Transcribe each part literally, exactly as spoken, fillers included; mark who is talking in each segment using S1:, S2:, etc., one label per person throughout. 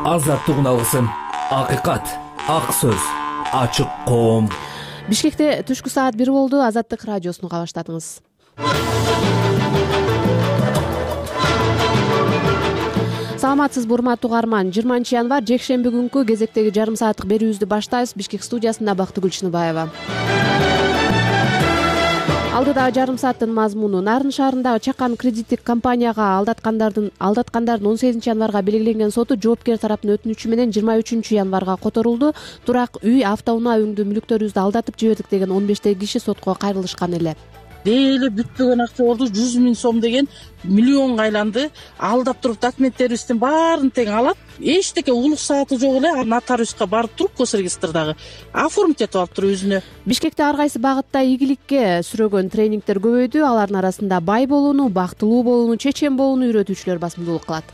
S1: азаттык алгысым, акыйкат, ак сөз, ачык коом.
S2: Бишкекте түшкү саат бир болду. Азаттык радиосуну уга баштадыңыз. Саламатсызбы урматтуу угарман. жыйырманчы январь жекшемби күнкү кезектеги жарым сааттык берүүбүздү баштайбыз. Бишкек студиясында Бактыгүл Чыныбаева. Алдыда жарым сааттын мазмуну: Нарын шаарындагы Чакан кредиттик компанияга алдаткандардын алдаткандардын он сегизинчи январга белгиленген соту жоопкер тараптын өтүнүчү менен жыйырма үчүнчү январга которулду. Турак үй, автоунаа өңдүү мүлүктөрүбүздү алдатып жибердик деген он бештей киши сотко кайрылышкан эле.
S3: Дейле бүтпөгөн акча болду. жүз миң сом деген миллионго айланды. Алдап туруп документтерибиздин баарын тең алат. Эчтеке улук сааты жок эле. Нотариуска барып туруп госрегистрдагы оформить этип алып туруп өзүнө.
S2: Бишкекте ар кайсы багытта ийгиликке сүрөгөн тренингдер көбөйдү. Алардын арасында бай болууну, бактылуу болууну, чечен болууну үйрөтүүчүлөр басымдуулук кылат.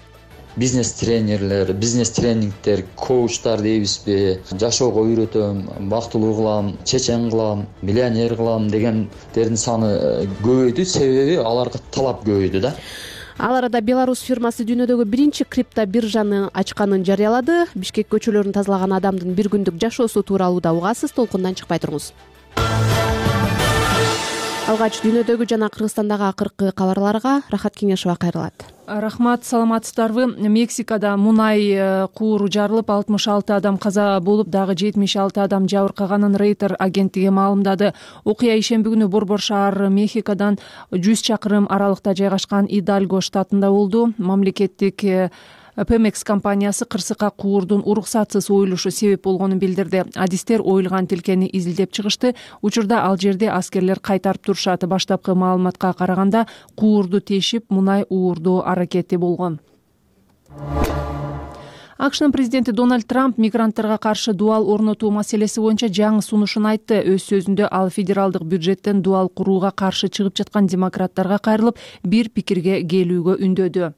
S4: Бизнес тренерлер, бизнес тренингтер, коучтар дейбизби, жашоого үйрөтөм, бактылуу кылам, чечен кылам, миллионер кылам дегендердин саны көбөйдү. Себеби аларга талап көбөйдү да.
S2: Ал арада Беларусь фирмасы дүйнөдөгү биринчи крипто биржаны ачканын жарыялады. Бишкек көчөлөрүн тазалаган адамдын бир күндүк жашоосу тууралуу да угасыз. Толкундан чыкпай туруңуз. Алгач дүйнөдөгү жана Кыргызстандагы акыркы кабарларга Рахат Кеңешова кайрылат.
S5: Рахмат, саламатсыздарбы? Мексикада мунай кууру жарылып, алтымыш алты адам каза болуп, дагы жетимиш алты адам жабыркаганын Рейтер агенттиги маалымдады. Окуя ишемби күнү Борбор шаар Мехикодон жүз чакырым аралыкта жайгашкан Идальго штатында болду. Мамлекеттик Пемекс компаниясы кырсыкка куурдун уруксатсыз оюлушу себеп болгонун билдирди. Адистер оюлган тилкени изилдеп чыгышты. Учурда ал жерде аскерлер кайтарып турушат. Баштапкы маалыматка караганда куурду тешип, мунай уурдоо аракети болгон. АКШнын президенти Дональд Трамп мигранттарга каршы дуал орнотуу маселеси боюнча жаңы сунушун айтты. Өз сөзүндө ал федералдык бюджеттен дуал курууга каршы чыгып жаткан демократтарга кайрылып, бир пикирге келүүгө үндөдү.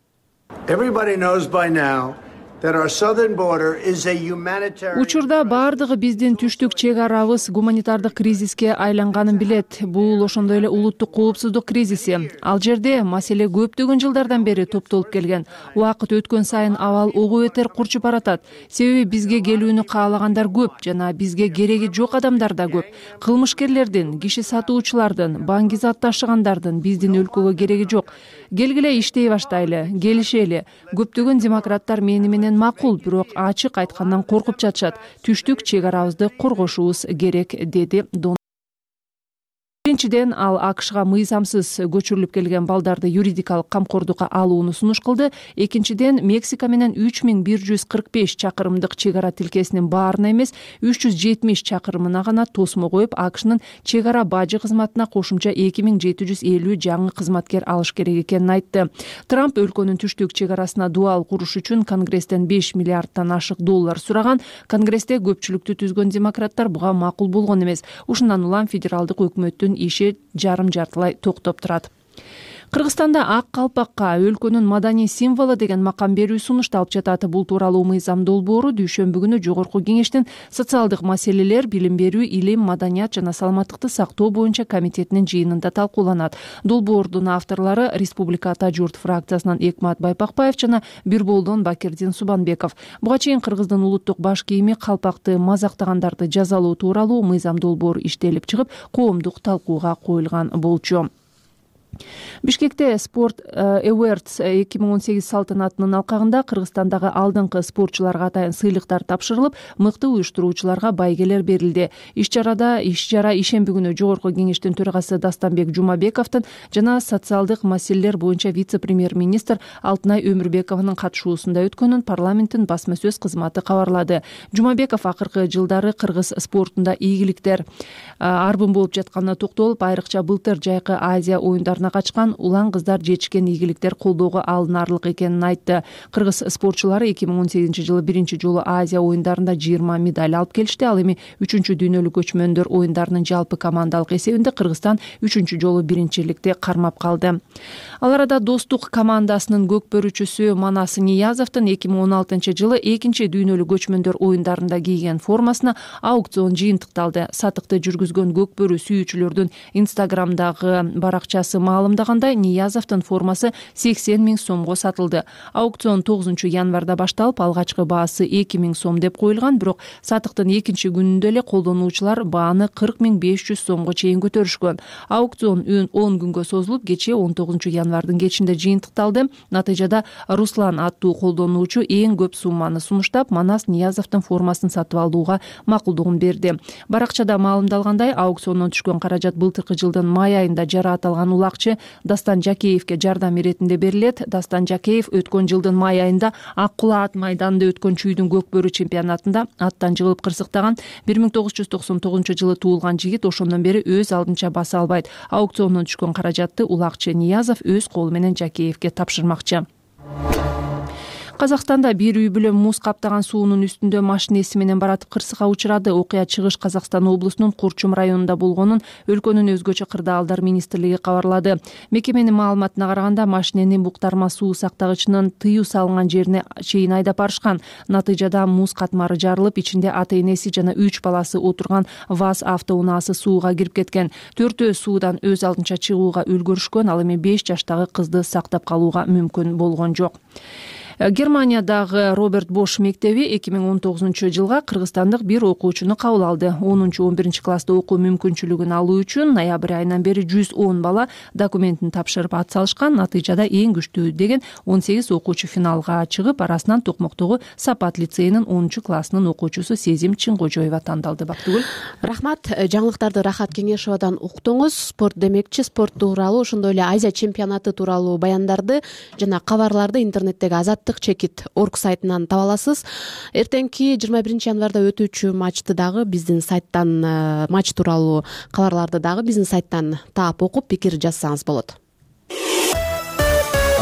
S6: Everybody knows by now that our southern border is a humanitarian.
S5: Учурда бардыгы биздин түштүк чек арабыз гуманитардык кризиске айланганын билет. Бул ошондой эле улуттук коопсуздук кризиси. Ал жерде маселе көптөгөн жылдардан бери топтолуп келген. Убакыт өткөн сайын абал ого бетер курчуп баратат. Себеби бизге келүүнү каалагандар көп жана бизге кереги жок адамдар да көп. Кылмышкерлердин, киши сатуучулардын, баңгизат ташыгандардын биздин өлкөгө кереги жок. Келгиле иштей баштайлы, келишели. Көптөгөн демократтар мени менен макул, бирок ачык айткандан коркуп жатышат. Түштүк чек арабызды коргошубуз керек, деди Дон. Биринчиден, ал АКШга мыйзамсыз көчүрүлүп келген балдарды юридикалык камкордукка алууну сунуш кылды. Экинчиден, Мексика менен үч миң бир жүз кырк беш чакырымдык чек ара тилкесинин баарына эмес, үч жүз жетимиш чакырымына гана тосмо коюп, АКШнын чек ара бажы кызматына кошумча эки миң жети жүз элүү жаңы кызматкер алыш керек экенин айтты. Трамп өлкөнүн түштүк чек арасына дуал куруш үчүн Конгресстен беш миллиарддан ашык доллар сураган. Конгрессте көпчүлүктү түзгөн демократтар буга макул болгон эмес. Ушундан улам федералдык өкмөттүн иши жарым жартылай токтоп турат. Кыргызстанда ак калпакка өлкөнүн маданий символу деген макам берүү сунушталып жатат. Бул тууралуу мыйзам долбоору дүйшөмбү күнү Жогорку Кеңештин социалдык маселелер, билим берүү, илим, маданият жана саламаттыкты сактоо боюнча комитетинин жыйынында талкууланат. Долбоордун авторлору Республика Ата журт фракциясынан Экмат Байпакбаев жана Бирболдон Бакирдин Субанбеков. Буга чейин Кыргыздын улуттук баш кийими калпакты мазактагандарды жазалоо тууралуу мыйзам долбоору иштелип чыгып, коомдук талкууга коюлган болчу. Бишкекте Sport Awards эки миң он сегиз салтанатынын алкагында Кыргызстандагы алдыңкы спортчуларга атайын сыйлыктар тапшырылып, мыкты уюштуруучуларга байгелер берилди. Иш-чарада иш-чара ишемби күнү Жогорку Кеңештин төрагасы Дастанбек Жумабековдун жана социалдык маселелер боюнча вице-премьер-министр Алтынай Өмүрбекованын катышуусунда өткөнүн парламенттин басма сөз кызматы кабарлады. Жумабеков акыркы жылдары кыргыз спортунда ийгиликтер арбын болуп жатканына токтолуп, айрыкча былтыр жайкы Азия оюндарына качкан улан кыздар жетишкен ийгиликтер колдоого алынаарлык экенин айтты. Кыргыз спортчулары эки миң он сегизинчи жылы биринчи жолу Азия оюндарында жыйырма медаль алып келишти. Ал эми үчүнчү дүйнөлүк көчмөндөр оюндарынын жалпы командалык эсебинде Кыргызстан үчүнчү жолу биринчиликти кармап калды. Ал арада Достук командасынын көкбөрүчүсү Манас Ниязовдун эки миң он алтынчы жылы экинчи дүйнөлүк көчмөндөр оюндарында кийген формасына аукцион жыйынтыкталды. Сатыкты жүргүзгөн көкбөрү сүйүүчүлөрдүн Инстаграмдагы баракчасы маалымдагандай, Ниязовдун формасы сексен миң сомго сатылды. Аукцион тогузунчу январда башталып, алгачкы баасы эки миң сом деп коюлган, бирок сатыктын экинчи күнүндө эле колдонуучулар бааны кырк миң беш жүз сомго чейин көтөрүшкөн. Аукцион он күнгө созулуп, кечээ он тогузунчу январдын кечинде жыйынтыкталды. Натыйжада Руслан аттуу колдонуучу эң көп сумманы сунуштап, Манас Ниязовдун формасын сатып алууга макулдугун берди. Баракчада маалымдалгандай, аукциондон түшкөн каражат былтыркы жылдын май айында жарааталган улакчы Дастан Жакеевке жардам иретинде берилет. Дастан Жакеев өткөн жылдын май айында Ак Кула ат майданында өткөн чүйдүн көкбөрү чемпионатында аттан жыгылып кырсыктаган. бир миң тогуз жүз токсон тогузунчу жылы туулган жигит ошондон бери өз алдынча баса албайт. Аукциондон түшкөн каражатты улакчы Ниязов өз колу менен Жакеевке тапшырмакчы. Казакстанда бир үй бүлө муз каптаган суунун үстүндө машинеси менен баратып кырсыкка учурады. Окуя Чыгыш Казакстан облусунун Курчум районунда болгонун өлкөнүн өзгөчө кырдаалдар министрлиги кабарлады. Мекеменин маалыматына караганда, машинени буктарма суу сактагычынын тыюу салынган жерине чейин айдап барышкан. Натыйжада муз катмары жарылып, ичинде ата-энеси жана үч баласы отурган ВАЗ автоунаасы сууга кирип кеткен. Төртөө суудан өз алдынча чыгууга үлгүрүшкөн, ал эми беш жаштагы кызды сактап калууга мүмкүн болгон жок. Германиядагы Роберт Бош мектеби эки миң он тогузунчу жылга кыргызстандык бир окуучуну кабыл алды. онунчу он биринчи класста окуу мүмкүнчүлүгүн алуу үчүн ноябрь айынан бери жүз он бала документин тапшырып ат салышкан. Натыйжада эң күчтүү деген он сегиз окуучу финалга чыгып, арасынан Токмоктогу Сапат лицейинин онунчу классынын окуучусу Сезим Чыңгожоева тандалды. Бактыгүл.
S2: Рахмат. Жаңылыктарды Рахат Кеңешовадан уктуңуз. Спорт демекчи, спорт тууралуу, ошондой эле Азия чемпионаты тууралуу баяндарды жана кабарларды интернеттеги азаттык чекит орг сайтынан таба аласыз. Эртеңки жыйырма биринчи январда өтүүчү матчты дагы биздин сайттан, матч тууралуу кабарларды дагы биздин сайттан таап окуп, пикир жазсаңыз болот.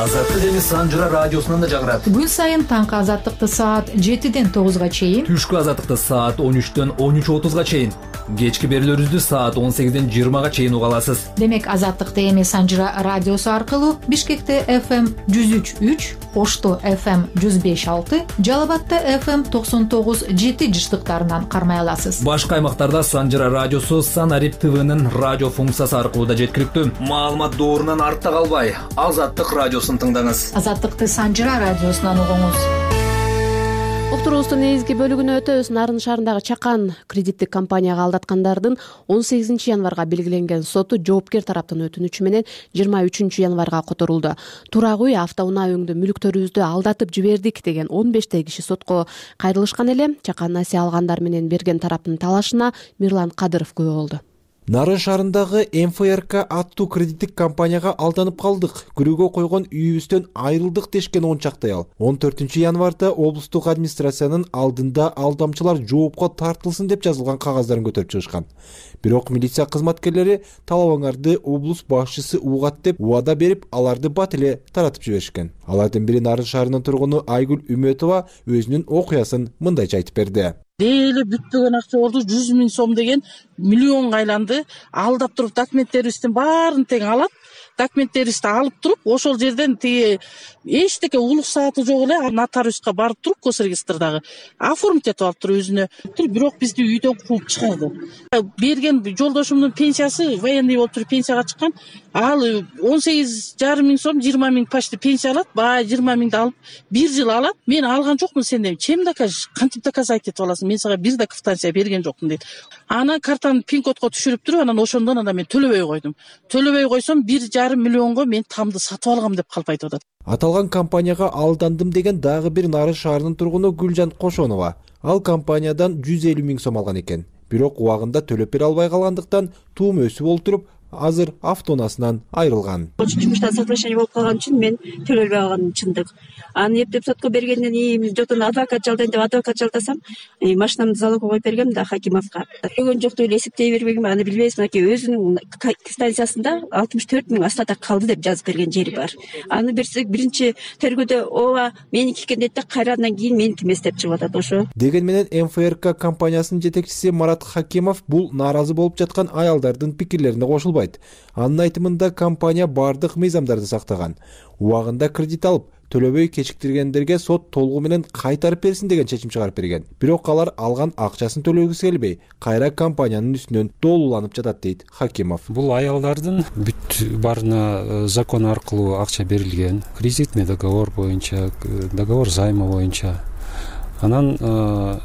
S1: Азаттык эми Санжыра радиосунан да жагырат.
S7: Күн сайын таңкы азаттыкты саат жетиден тогузга чейин,
S1: Түшкү азаттыкты саат он үчтөн он үч отузга чейин, кечки берүүлөрүбүздү саат он сегизден жыйырмага чейин уга аласыз.
S7: Демек, азаттыкты эми Санжыра радиосу аркылуу Бишкекте эф эм жүз үч үч, Ошто эф эм жүз беш алты, Жалал Абадта эф эм токсон тогуз жети жыштыктарынан кармай аласыз.
S1: Башка аймактарда Санжыра радиосу Санарип ТВнын радио функциясы аркылуу да жеткиликтүү. Маалымат доорунан артта калбай, Азаттык радиосун тыңдаңыз.
S7: Азаттыкты Санжыра радиосунан угуңуз.
S2: Уктуруубуздун негизги бөлүгүнө өтөбүз. Нарын шаарындагы Чакан кредиттик компанияга алдаткандардын он сегизинчи январга белгиленген соту жоопкер тараптын өтүнүчү менен жыйырма үчүнчү январга которулду. Турак үй, автоунаа өңдө мүлктөрүбүздү алдатып жибердик деген он бештей киши сотко кайрылышкан эле. Чакан насыя алгандар менен берген тараптын талашына Мирлан Кадыров күбө болду.
S8: Нарын шаарындагы эм эф эр ка аттуу кредиттик компанияга алданып калдык, күрөөгө койгон үйүбүздөн айрылдык дешкен он чакты аял он төртүнчү январда облустук администрациянын алдында алдамчылар жоопко тартылсын деп жазылган кагаздарын көтөрүп чыгышкан. Бирок милиция кызматкерлери талабыңарды облус башчысы угат деп убада берип, аларды бат эле таратып жиберишкен. Алардын бири Нарын шаарынын тургуну Айгүл Үмөтова өзүнүн окуясын мындайча айтып берди.
S3: Дээли бүтпөгөн акча болду, жүз миң сом деген миллионго айланды. Алдап туруп документтерибиздин баарын тең алат. Документтерибизди алып туруп, ошол жерден тиги эчтеке улук сааты жок эле нотариуска барып туруп, госрегистрдагы оформить этип алып туруп өзүнө. Бирок бизди үйдөн кууп чыгарды. Берген жолдошумдун пенсиясы военный болуп туруп пенсияга чыккан. Ал он сегиз жарым миң сом, жыйырма миң почти пенсия алат. Баа жыйырма миңди алып бир жыл алат. Мен алган жокмун сенден. Чем докажешь? Кантип доказать этип аласың? Мен сага бир да квитанция берген жокмун дейт. Анан картаны пин-кодко түшүрүп туруп, анан ошондон анда мен төлөбөй койдум. Төлөбөй койсом бир жарым миллионго мен тамды сатып алгам деп калп айтып атат.
S8: Аталган компанияга алдандым деген дагы бир Нарын шаарынын тургуну Гүлжан Кошонова. Ал компаниядан жүз элүү миң сом алган экен. Бирок убагында төлөп бере албай калгандыктан туум өсүп олтуруп, азыр автоунаасынан айрылган.
S9: Жумуштан соглашение болуп калган үчүн мен төлөбөй алганым чындык. Аны эптеп сотко бергенден кийин жотон адвокат жалдайын деп адвокат жалдасам, машинамды залогко коюп бергем да Хакимовго. Төлөгөн жок деп эле эсептей бербегем, аны билбейбиз. Мынакей өзүнүн квитанциясында алтымыш төрт миң остаток калды деп жазып берген жери бар. Аны берсек биринчи тергөөдө ооба меники экен дейт да, кайрадан кийин меники эмес деп чыгып атат. Ошо
S8: деген менен эм эф эр ка компаниясынын жетекчиси Марат Хакимов бул нааразы болуп жаткан аялдардын пикирлерине кошулбайт. Анын айтымында компания бардык мыйзамдарды сактаган. Убагында кредит алып, төлөбөй кечиктиргендерге сот толугу менен кайтарып берсин деген чечим чыгарып берген. Бирок алар алган акчасын төлөгүсү келбей, кайра компаниянын үстүнөн доолууланып жатат дейт Хакимов.
S10: Бул аялдардын бүт баарына закон аркылуу акча берилген, кредитный договор боюнча, договор займа боюнча. Анан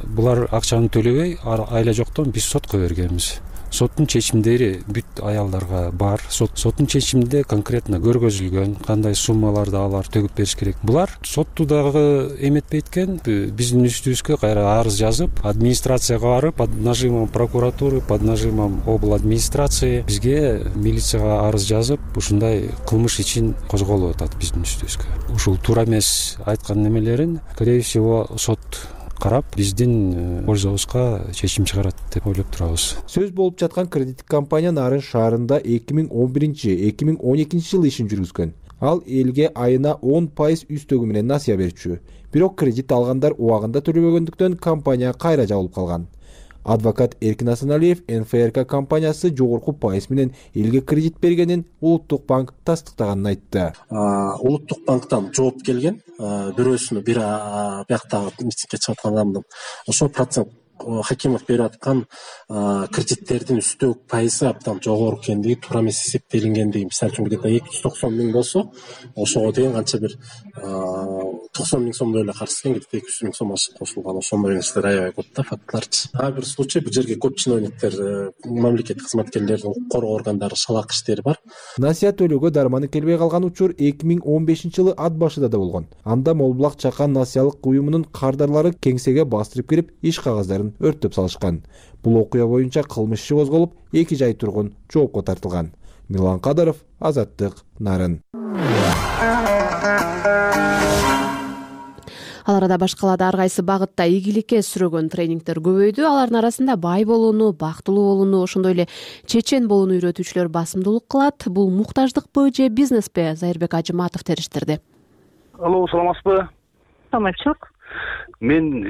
S10: булар акчаны төлөбөй, айла жоктон биз сотко бергенбиз. Соттун чечимдери бүт аялдарга бар. Соттун чечиминде конкретно көргөзүлгөн кандай суммаларды алар төгүп бериш керек. Булар сотту дагы эметпей экен, биздин үстүбүзгө кайра арыз жазып, администрацияга барып, под нажимом прокуратуры, под нажимом обл администрации бизге милицияга арыз жазып, ушундай кылмыш ичин козголуп атат биздин үстүбүзгө. Ушул туура эмес айткан немелерин, скорее всего, сот карап биздин пользобузга чечим чыгарат деп ойлоп турабыз.
S8: Сөз болуп жаткан кредиттик компания Нарын шаарында эки миң он биринчи — эки миң он экинчи жылы ишин жүргүзгөн. Ал элге айына он пайыз үстөгү менен насыя берчү. Бирок кредит алгандар убагында төлөбөгөндүктөн компания кайра жабылып калган. Адвокат Эркин Асаналиев эн эф эр ка компаниясы жогорку пайыз менен элге кредит бергенин Улуттук банк тастыктаганын айтты.
S11: Улуттук банктан жооп келген, бирөөсүнө бир бияктагы митингге чыгып аткан ошол процент Хакимов берип аткан кредиттердин үстөөк пайызы абдан жогору экендиги, туура эмес эсептелингендиги, мисалы үчүн где-то эки жүз токсон миң болсо, ошого деген канча бир токсон миң сомдой эле карыз экен, где-то эки жүз миң сом ашык кошулган. Ошондой нерселер аябай көп да, фактларчы. Ар бир случай бул жерге көп чиновниктер, мамлекеттик кызматкерлердин укук коргоо органдары шалак иштери бар.
S8: Насыя төлөөгө дарманы келбей калган учур эки миң он бешинчи жылы ат башыда да болгон. Анда Молбулак Чакан насыялык уюмунун кардарлары кеңсеге бастырып кирип, иш кагаздарын өрттөп салышкан. Бул окуя боюнча кылмыш иши козголуп, эки жай тургун жоопко тартылган. Милан Кадыров, Азаттык, Нарын.
S2: Ал арада башкалада ар кайсы багытта ийгиликке сүрөгөн тренингдер көбөйдү. Алардын арасында бай болууну, бактылуу болууну, ошондой эле чечен болууну үйрөтүүчүлөр басымдуулук кылат. Бул муктаждыкпы же бизнеспи? Зайырбек Ажыматов териштирди.
S12: Алло, саламатсызбы?
S9: Саламатчылык.
S12: Мен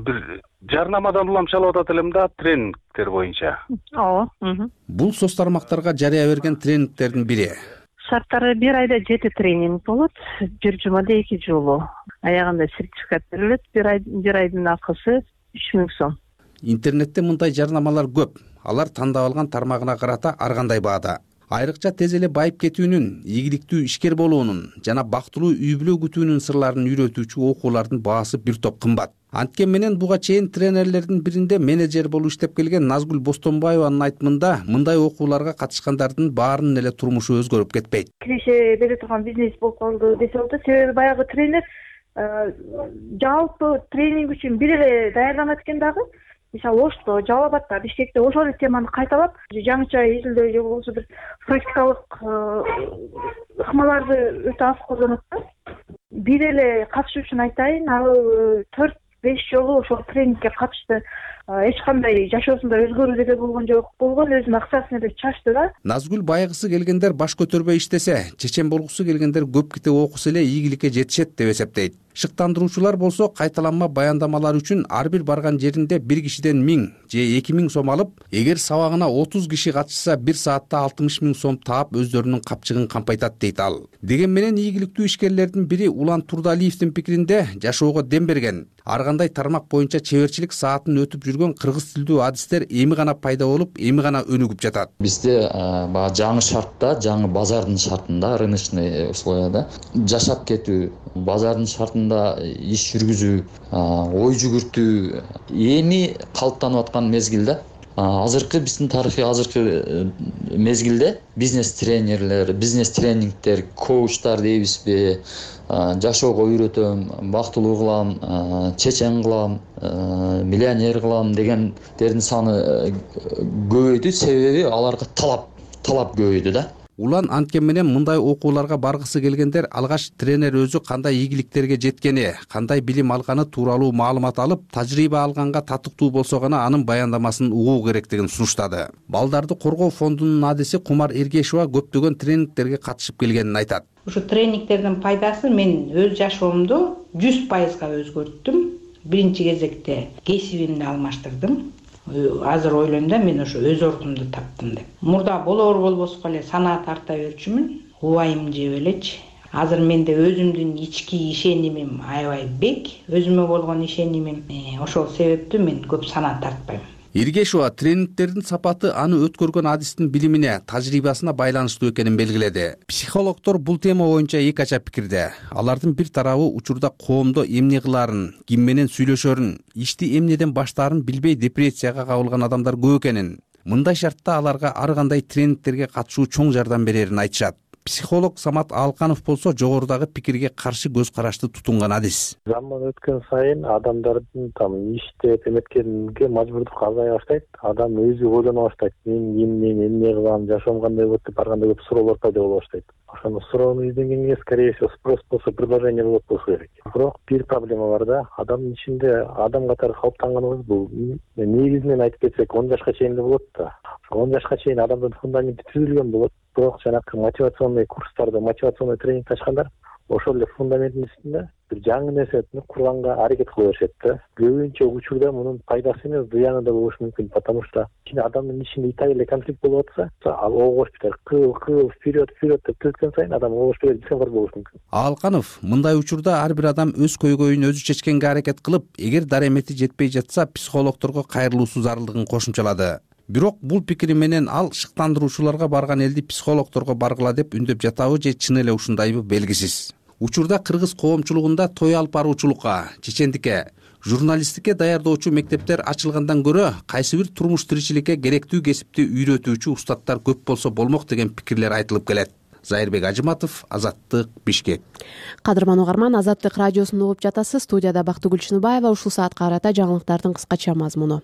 S12: бир жарнамадан улам чалып атат элем да, тренингдер боюнча.
S9: Ооба.
S13: Бул соц тармактарга жарыя берген тренингдердин бири.
S9: Шарттары бир айда жети тренинг болот, бир жумада эки жолу. Аягында сертификат берилет, бир ай бир айдын акысы үч миң сом.
S13: Интернетте мындай жарнамалар көп. Алар тандап алган тармагына карата ар кандай баада. Айрыкча тез эле байып кетүүнүн, ийгиликтүү ишкер болуунун жана бактылуу үй бүлө күтүүнүн сырларын үйрөтүүчү окуулардын баасы бир топ кымбат. Анткени менен буга чейин тренерлердин биринде менеджер болуп иштеп келген Назгүл Бостонбаеванын айтымында, мындай окууларга катышкандардын баарынын эле турмушу өзгөрүп кетпейт.
S14: Киреше бере турган бизнес болуп калды десе болот. Себеби баягы тренер жалпы тренинг үчүн бир эле даярданат экен дагы. Мисалы Ошто, Жалал Абадта, Бишкекте ошол эле теманы кайталап, жаңыча изилдөө же болбосо бир практикалык ыкмаларды өтө аз колдонот да. Бир эле катышуучуну айтайын, ал төрт беш жолу ошол тренингге катышты. Эч кандай жашоосунда өзгөрүү деле болгон жок. Болгон өзүнүн акчасын эле чачты да.
S13: Назгүл байгысы келгендер баш көтөрбөй иштесе, чечен болгусу келгендер көп китеп окуса эле ийгиликке жетишет деп эсептейт. Шыктандыруучулар болсо кайталанма баяндамалар үчүн ар бир барган жеринде бир кишиден миң же эки миң сом алып, эгер сабагына отуз киши катышса бир саатта алтымыш миң сом таап өздөрүнүн капчыгын кампайтат дейт ал. Деген менен ийгиликтүү ишкерлердин бири Улан Турдалиевдин пикиринде жашоого дем берген, ар кандай тармак боюнча чеберчилик саатын өтүп жүргөн кыргыз тилдүү адистер эми гана пайда болуп, эми гана өнүгүп жатат.
S4: Бизде баягы жаңы шартта, жаңы базардын шартында, рыночный условияда жашап кетүү, базардын шартында иш жүргүзүү, ой жүгүртүү эми калыптанып аткан мезгилде, азыркы биздин тарыхый азыркы мезгилде бизнес тренерлер, бизнес тренингдер, коучтар дейбизби, жашоого үйрөтөм, бактылуу кылам, чечен кылам, миллионер кылам дегендердин саны көбөйдү. Себеби аларга талап талап көбөйдү да.
S13: Улан анткени менен мындай окууларга баргысы келгендер алгач тренер өзү кандай ийгиликтерге жеткени, кандай билим алганы тууралуу маалымат алып, тажрыйба алганга татыктуу болсо гана анын баяндамасын угуу керектигин сунуштады. Балдарды коргоо фондунун адиси Кумар Эргешова көптөгөн тренингтерге катышып келгенин айтат.
S15: Ушу тренингтердин пайдасы мен өз жашоомду жүз пайызга өзгөрттүм. Биринчи кезекте кесибимди алмаштырдым. Азыр ойлойм да, мен ошо өз ордумду таптым деп. Мурда болор болбоско эле санаа тарта берчүмүн, убайым жеп элечи. азыр менде өзүмдүн ички ишенимим аябай бек, өзүмө болгон ишенимим, ошол себептүү мен көп санаа тартпайм.
S13: Иргешова тренингтердин сапаты аны өткөргөн адистин билимине, тажрыйбасына байланыштуу экенин белгиледи. Психологдор бул тема боюнча эки ача пикирде. Алардын бир тарабы учурда коомдо эмне кылаарын, ким менен сүйлөшөрүн, ишти эмнеден баштаарын билбей депрессияга кабылган адамдар көп экенин. Мындай шартта аларга ар кандай тренингтерге катышуу чоң жардам берерин айтышат. Психолог Самат Алканов болсо жогорудагы пикирге каршы көз карашты тутунган адис.
S16: Заман өткөн сайын адамдардын там иштеп эметкенге мажбурдук азая баштайт. Адам өзү ойлоно баштайт. Мен эмне эмне кылам, жашоом кандай болот деп ар кандай көп суроолор пайда боло баштайт. Ошону суроону изделгенге скорее всего спрос болсо предложение болот болсо керек. Бирок бир проблема бар да, адамдын ичинде адам катары калыптанганыбыз бул негизинен айтып кетсек он жашка чейин эле болот да. он жашка чейин адамдын фундаменти түзүлгөн болот. Бирок жанакы мотивационный курстарды, мотивационный тренинг ачкандар ошол эле фундаменттин үстүндө бир жаңы нерсени курганга аракет кыла беришет да. Көбүнчө учурда мунун пайдасы эмес, зыяны да болушу мүмкүн, потому что адамдын ичинде итак эле конфликт болуп атса, ал огош битер, кыл кыл вперед вперед деп өткөн сайын адам огош берип дискомфорт болушу мүмкүн.
S13: Алканов мындай учурда ар бир адам өз көйгөйүн өзү чечкенге аракет кылып, эгер даремети жетпей жатса, психологдорго кайрылуусу зарылдыгын кошумчалады. Бирок бул пикири менен ал шыктандыруучуларга барган элди психологдорго баргыла деп үндөп жатабы же чын эле ушундайбы белгисиз. Учурда кыргыз коомчулугунда той алып баруучулукка, чечендикке, журналисттикке даярдоочу мектептер ачылгандан көрө кайсы бир турмуш тиричиликке керектүү кесипти үйрөтүүчү устаттар көп болсо болмок деген пикирлер айтылып келет. Зайырбек Ажыматов, Азаттык, Бишкек.
S2: Кадырман угарман, Азаттык радиосун угуп жатасыз. Студияда Бактыгүл Чыныбаева. Ушул саатка карата жаңылыктардын кыскача мазмуну.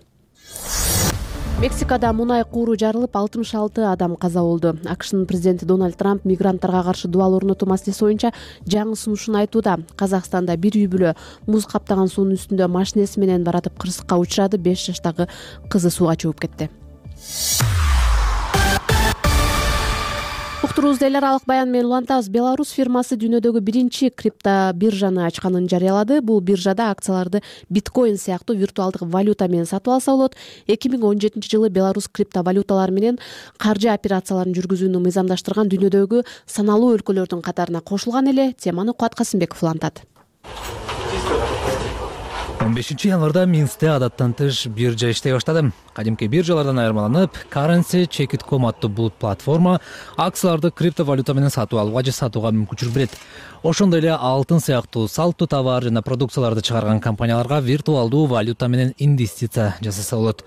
S2: Мексикада мунай кууру жарылып, алтымыш алты адам каза болду. АКШнын президенти Дональд Трамп мигранттарга каршы дубал орнотуу маселеси боюнча жаңы сунушун айтууда. Казакстанда бир үй бүлө муз каптаган суунун үстүндө машинеси менен баратып кырсыкка учурады. беш жаштагы кызы сууга чөгүп кетти. Уктуруубузду эл аралык баян менен улантабыз. Беларусь фирмасы дүйнөдөгү биринчи крипто биржаны ачканын жарыялады. Бул биржада акцияларды биткоин сыяктуу виртуалдык валюта менен сатып алса болот. эки миң он жетинчи жылы Беларусь криптовалюталары менен каржы операцияларын жүргүзүүнү мыйзамдаштырган дүйнөдөгү саналуу өлкөлөрдүн катарына кошулган эле. Теманы Кубат Касымбеков улантат.
S1: он бешинчи январда Минскте адаттан тыш биржа иштей баштады. Кадимки биржалардан айырмаланып, Currency Check dot com аттуу бул платформа акцияларды криптовалюта менен сатып алууга же сатууга мүмкүнчүлүк берет. Ошондой эле алтын сыяктуу салттуу товар жана продукцияларды чыгарган компанияларга виртуалдуу валюта менен инвестиция жасаса болот.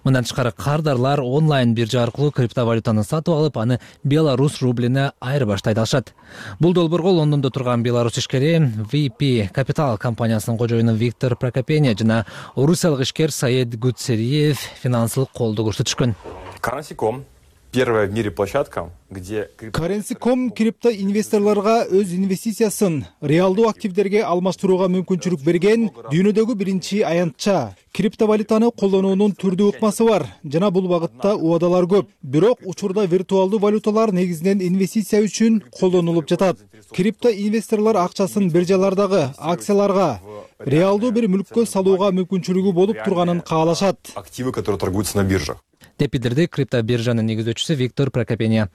S1: Мындан тышкары кардарлар онлайн биржа аркылуу криптовалютаны сатып алып, аны Беларусь рублине айырбаштай алышат. Бул долбоорго Лондондо турган Беларусь ишкери ви пи Capital компаниясынын кожоюну Виктор Прокопения жана орусиялык ишкер Саид Гуцериев финансылык колдоо көрсөтүшкөн.
S17: Currency точка ком первая в мире площадка, где
S18: Currency точка ком крипто инвесторлорго өз инвестициясын реалдуу активдерге алмаштырууга мүмкүнчүлүк берген дүйнөдөгү биринчи аянтча. Криптовалютаны колдонуунун түрдүү ыкмасы бар жана бул багытта убадалар көп. Бирок учурда виртуалдуу валюталар негизинен инвестиция үчүн колдонулуп жатат. Крипто инвесторлор акчасын биржалардагы акцияларга, реалдуу бир мүлккө салууга мүмкүнчүлүгү болуп турганын каалашат.
S17: Активы, которые торгуются на биржах.
S1: деп билдирди крипто биржанын негиздөөчүсү Виктор Прокопения.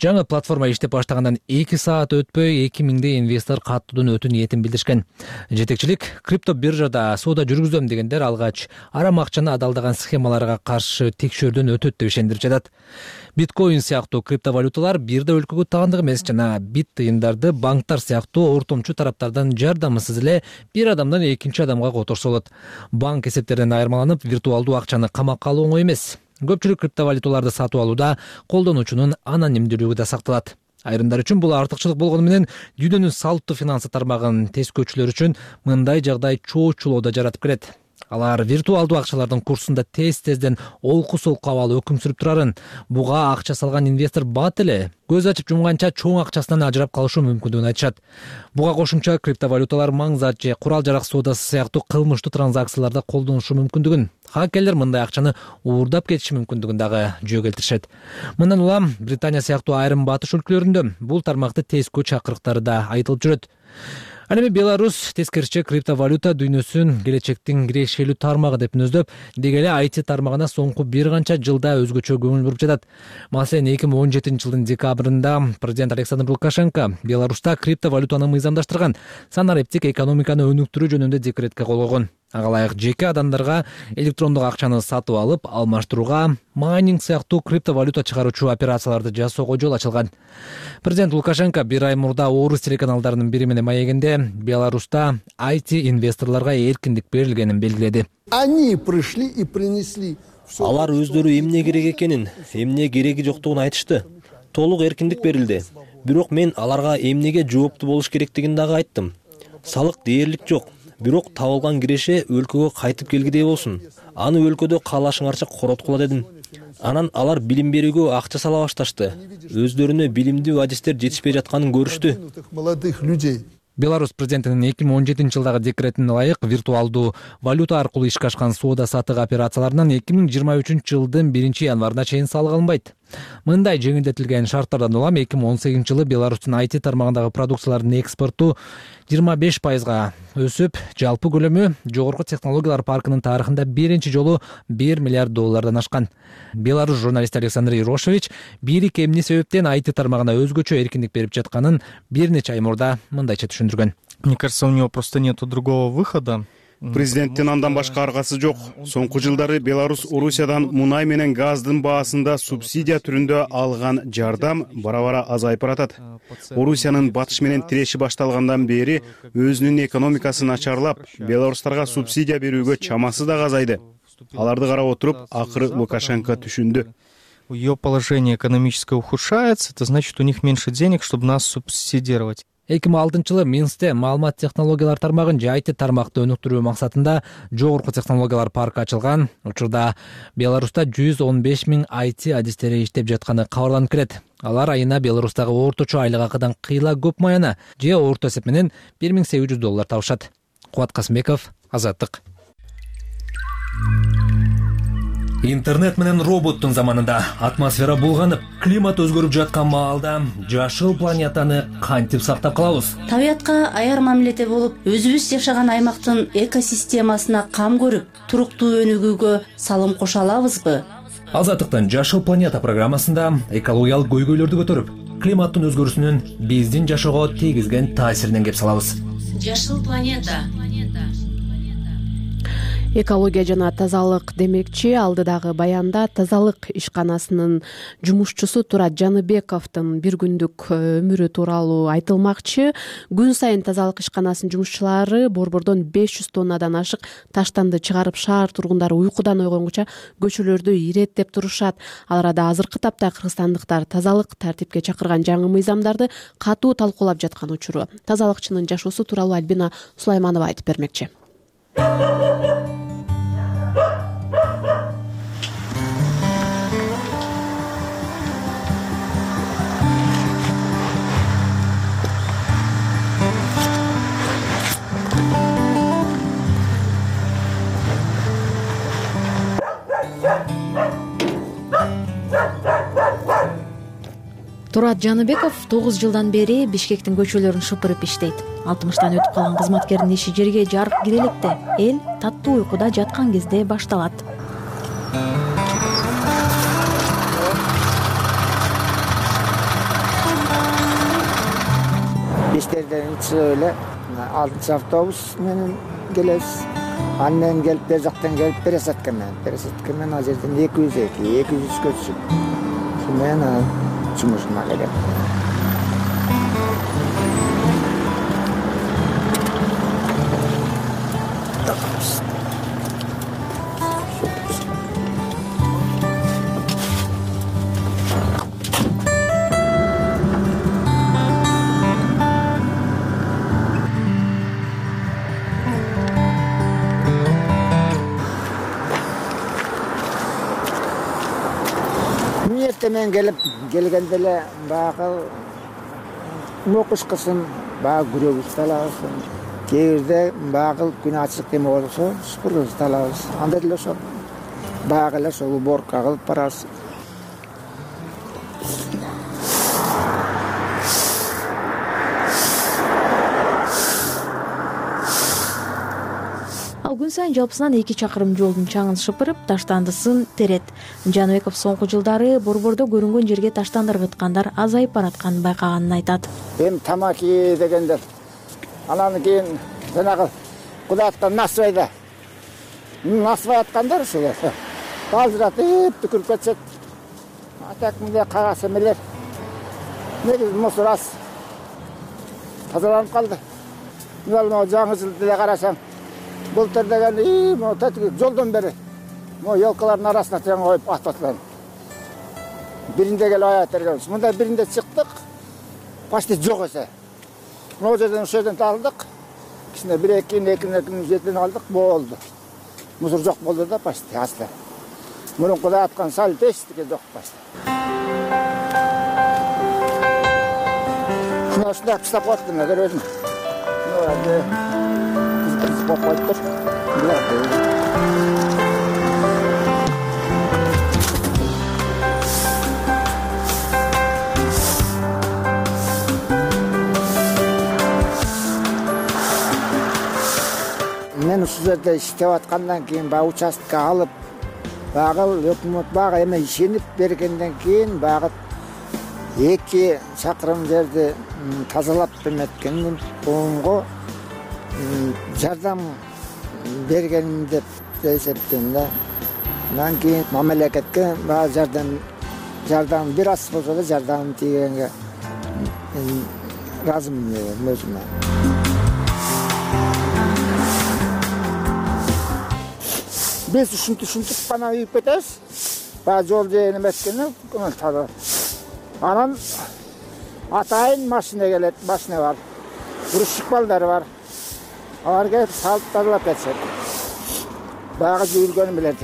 S1: Жаңы платформа иштеп баштагандан эки саат өтпөй эки миңдей инвестор каттоодон өтүү ниетин билдиришкен. Жетекчилик крипто биржада соода жүргүзөм дегендер алгач арам акчаны адалдаган схемаларга каршы текшөөрдөн өтөт деп ишендирип жатат. Биткоин сыяктуу криптовалюталар бир да өлкөгө таандык эмес жана бит тыйындарды банктар сыяктуу ортомчу тараптардан жардамысыз эле бир адамдан экинчи адамга которсо болот. Банк эсептеринен айырмаланып, виртуалдуу акчаны камакка алуу оңой эмес. Көпчүлүк криптовалюталарды сатып алууда колдонуучунун анонимдүүлүгү да сакталат. Айрымдар үчүн бул артыкчылык болгону менен дүйнөнүн салттуу финансы тармагын тескөөчүлөр үчүн мындай жагдай чоочулоодо жаратып келет. Алар виртуалдуу акчалардын курсунда тез-тезден олку-солку абалы өкүм сүрүп турарын, буга акча салган инвестор бат эле көз ачып жумганча чоң акчасынан ажырап калышы мүмкүндүгүн айтышат. Буга кошумча криптовалюталар маңзат же курал-жарак соодасы сыяктуу кылмыштуу транзакцияларда колдонушу мүмкүндүгүн, хакерлер мындай акчаны уурдап кетиши мүмкүндүгүн дагы жөө келтиришет. Мындан улам Британия сыяктуу айрым батыш өлкөлөрүндө бул тармакты тескөө чакырыктары да айтылып жүрөт. Ал эми Беларусь тескерисинче криптовалюта дүйнөсүн келечектин кирешелүү тармагы деп мүнөздөп, деги эле ай ти тармагына соңку бир канча жылда өзгөчө көңүл буруп жатат. Маселен, эки миң он жетинчи жылдын декабрында президент Александр Лукашенко Беларусьта криптовалютаны мыйзамдаштырган, санариптик экономиканы өнүктүрүү жөнүндө декретке кол койгон. Ага ылайык жеке адамдарга электрондук акчаны сатып алып, алмаштырууга, майнинг сыяктуу криптовалюта чыгаруучу операцияларды жасоого жол ачылган. Президент Лукашенко бир ай мурда орус телеканалдарынын бири менен маегинде Беларусьта ай ти инвесторлорго эркиндик берилгенин белгиледи.
S19: Они пришли и принесли.
S20: Алар өздөрү эмне керек экенин, эмне кереги жоктугун айтышты. Толук эркиндик берилди. Бирок мен аларга эмнеге жооптуу болуш керектигин дагы айттым. Салык дээрлик жок. Бирок табылган киреше өлкөгө кайтып келгидей болсун. Аны өлкөдө каалашыңарча короткула дедим. Анан алар билим берүүгө акча сала башташты. Өздөрүнө билимдүү адистер жетишпей жатканын көрүштү.
S1: Беларусь президентинин эки миң он жетинчи жылдагы декретине ылайык виртуалдуу валюта аркылуу ишке ашкан соода саттык операцияларынан эки миң жыйырма үчүнчү жылдын биринчи январына чейин салык алынбайт. Мындай жеңилдетилген шарттардан улам эки миң он сегизинчи жылы Беларустун ай ти тармагындагы продукциялардын экспорту жыйырма беш пайызга өсүп, жалпы көлөмү жогорку технологиялар паркынын тарыхында биринчи жолу бир миллиард доллардан ашкан. Беларусь журналисти Александр Ирошевич бийлик эмне себептен ай ти тармагына өзгөчө эркиндик берип жатканын бир нече ай мурда мындайча түшүндүргөн.
S21: Мне кажется, у него просто нету другого выхода.
S22: Президенттин андан башка аргасы жок. Соңку жылдары Беларусь Орусиядан мунай менен газдын баасында субсидия түрүндө алган жардам бара-бара азайып баратат. Орусиянын батыш менен тиреши башталгандан бери өзүнүн экономикасы начарлап, белорустарга субсидия берүүгө чамасы да азайды. Аларды карап отуруп, акыры Лукашенко түшүндү.
S21: Ее положение экономическое ухудшается, это значит, у них меньше денег, чтобы нас субсидировать.
S1: эки миң алтынчы жылы Минскте маалымат технологиялар тармагын же ай ти тармакты өнүктүрүү максатында жогорку технологиялар паркы ачылган. Учурда Беларусьта жүз он беш миң ай ти адистери иштеп жатканы кабарланып келет. Алар айына Беларусьтагы орточо айлык акыдан кыйла көп маяна же орто эсеп менен бир миң сегиз жүз доллар табышат. Кубат Касымбеков, Азаттык.
S23: Интернет менен роботтун заманында атмосфера булганып, климат өзгөрүп жаткан маалда жашыл планетаны кантип сактап калабыз?
S24: Табиятка аяр мамиледе болуп, өзүбүз жашаган аймактын экосистемасына кам көрүп, туруктуу өнүгүүгө салым кошо алабызбы?
S23: Азаттыктын Жашыл планета программасында экологиялык көйгөйлөрдү көтөрүп, климаттын өзгөрүүсүнүн биздин жашоого тийгизген таасиринен кеп салабыз.
S24: Жашыл планета.
S2: Экология жана тазалык демекчи алдыдагы баянда тазалык ишканасынын жумушчусу Турат Жаныбековдун бир күндүк өмүрү тууралуу айтылмакчы. Күн сайын тазалык ишканасынын жумушчулары борбордон беш жүз тоннадан ашык таштанды чыгарып, шаар тургундары уйкудан ойгонгуча көчөлөрдү иреттеп турушат. Ал арада азыркы тапта кыргызстандыктар тазалык тартипке чакырган жаңы мыйзамдарды катуу талкуулап жаткан учуру. Тазалыкчынын жашоосу тууралуу Альбина Сулайманова айтып бермекчи.
S25: Турат Жаныбеков тогуз жылдан бери Бишкектин көчөлөрүн шыпырып иштейт. алтымыштан өтүп калган кызматкердин иши жерге жарык кире электе, эл таттуу уйкуда жаткан кезде башталат.
S26: Бишкектен чыгып эле алтынчы автобус менен келебиз. Андан келип бер жактан келип пересадка менен, пересадка менен ал жерден эки жүз эки, эки жүз үчкө түшүп. Мен жумушума келем. Мен келип келгенде эле баягы мокушкасын, баягы күрөгүбүздү алабыз. Кээ бирде баягы күн ачык эме болсо, супурубузду алабыз. Анда деле ошо баягы эле ошол уборка кылып барабыз.
S25: ал күн сайын жалпысынан эки чакырым жолдун чаңын шыпырып, таштандысын терет. Жаныбеков соңку жылдары борбордо көрүнгөн жерге таштанды ыргыткандар азайып баратканын байкаганын айтат.
S26: Эми тамаки дегендер анан кийин жанагы Кудаяттан насыбайда насыбай аткандар ушулар балжыратып түкүрүп кетишет. Атак мындай кагаз эмелер негизи мусор аз тазаланып калды. Мына могу жаңы жыл деле карасаң, былтыр деген и могу тетиги жолдон бери могу елкалардын арасына тең коюп атпатлар. Биринде келип аябай тергебиз. Мындай биринде чыктык, почти жок эсе. Могу жерден ошол жерден талдык. Кичине бир эки эки жетиден алдык, болду. Мусор жок болду да почти азды. Мурункудай аткан сал бештике жок почти. Мына ушундай кыштап коюптум, көрөсүң. Мына болуп коюптур. Мен ушул жерде иштеп аткандан кийин баягы участка алып, баягы өкмөт бага эме ишенип бергенден кийин баягы эки чакырым жерди тазалап эметкенин коомго жардам бергенин деп эсептейм да. Андан кийин мамлекетке баягы жардам жардам бир аз болсо да жардам тийгенге ыраазымын өзүмө. Biz ушинтип ушинтип гана үйүп кетебиз. Баягы жол жээн эметкени таза. Анан атайын машина келет, машина бар. Грузчик балдары бар. Алар келип салып тазалап кетишет. Баягы жүргөнү билет.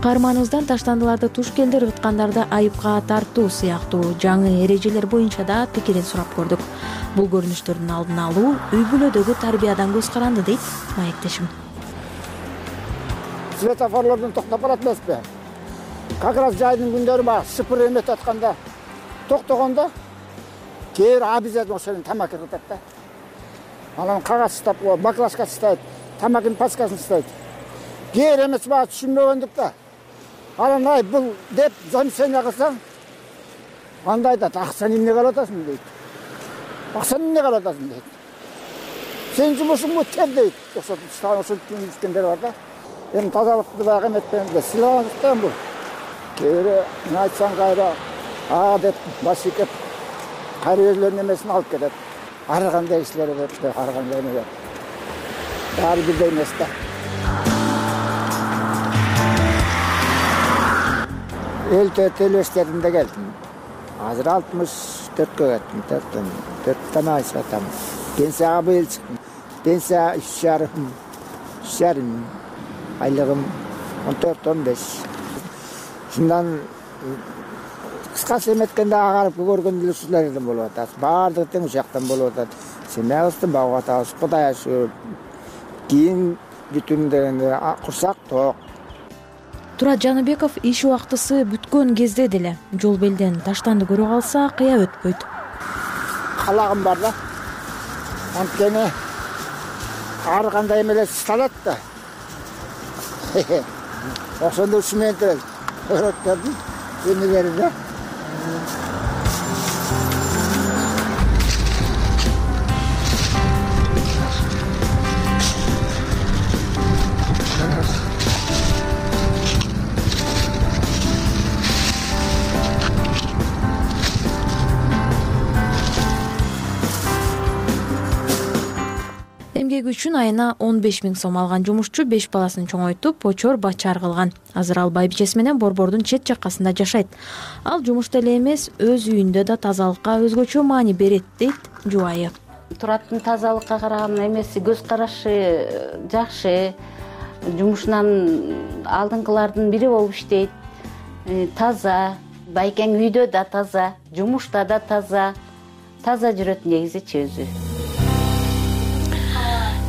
S25: Каарманыбыздан таштандыларды туш келди ыргыткандарды айыпка тартуу сыяктуу жаңы эрежелер боюнча да пикирин сурап көрдүк. Бул көрүнүштөрдүн алдын алуу үй бүлөдөгү тарбиядан көз каранды дейт маектешим. Светофорлордон токтоп барат эмеспи? Как раз жайдын күндөрү бар, шыпыр эметип атканда токтогондо кээ бир обязательно ошол тамаки ыргытат да. Анан кагаз штап, баклажка штайт, тамакынын пачкасын штайт. Кээ бир эмес баа түшүнбөгөндүк да. Анан ай бул деп замечание кылсаң, анда айтат, акчаны эмнеге алып атасың дейт. Акчаны эмнеге алып атасың дейт. Сен жумушуң өтөр дейт. Ошол ошол түшүнүшкөндөр бар да. Эми тазалыкты баягы эметкенде сыйланыктан бул. Кээ бир айтсаң кайра а деп баш ийкеп кайра өзлөрүнүн эмесин алып кетет. Ар кандай кишилер деп, ар кандай эмелер. Баары бирдей эмес да. Эл төлөштөрүндө келдим. Азыр алтымыш төрткө кеттим, төрттөн төрттөн ай сатам. Пенсияга быйыл чыктым. Пенсия үч жарым, үч жарым. Айлыгым он төрт он беш. Шундан кыскасы эметкенде агарып көргөн эле ушул жерден болуп атат. Баардыгы тең ушул жактан болуп атат. Семьябызды багып атабыз, Кудай ашыгып. Кийин бүтүн дегенде курсак ток. Турат Жаныбеков иш убактысы бүткөн кезде деле жол белден таштанды көрө калса кыя өтпөйт.
S26: Калагым бар да. Анткени ар кандай эмелер салат да. Ошондо ушумен эле өрөттөрдүн эмелери да.
S25: Эмгеги үчүн айына он беш миң сом алган жумушчу беш баласын чоңойтуп, очор бачар кылган. Азыр ал байбичеси менен борбордун чет жаккасында жашайт. Ал жумушта эле эмес, өз үйүндө да тазалыкка өзгөчө маани берет, дейт жубайы.
S24: Тураттын тазалыкка караган эмеси, көз карашы жакшы. Жумушунан алдыңкылардын бири болуп иштейт. Таза, байкең үйдө да таза, жумушта да таза. Таза жүрөт негизичи өзү.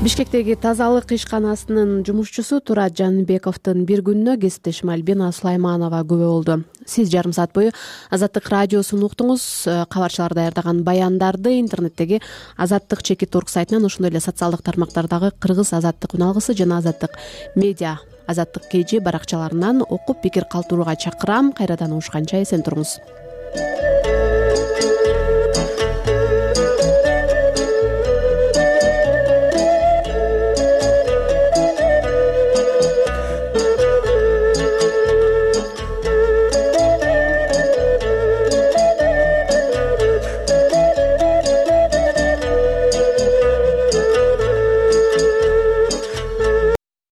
S2: Бишкектеги тазалык ишканасынын жумушчусу Турат Жаныбековдун бир күнүнө кесиптешим Альбина Сулайманова күбө болду. Сиз жарым саат бою Азаттык радиосун уктуңуз. Кабарчылар даярдаган баяндарды интернеттеги Азаттык чекит орг сайтынан, ошондой эле социалдык тармактардагы Кыргыз Азаттык үналгысы жана Азаттык медиа Азаттык кж баракчаларынан окуп пикир калтырууга чакырам. Кайрадан угушканча эсен туруңуз.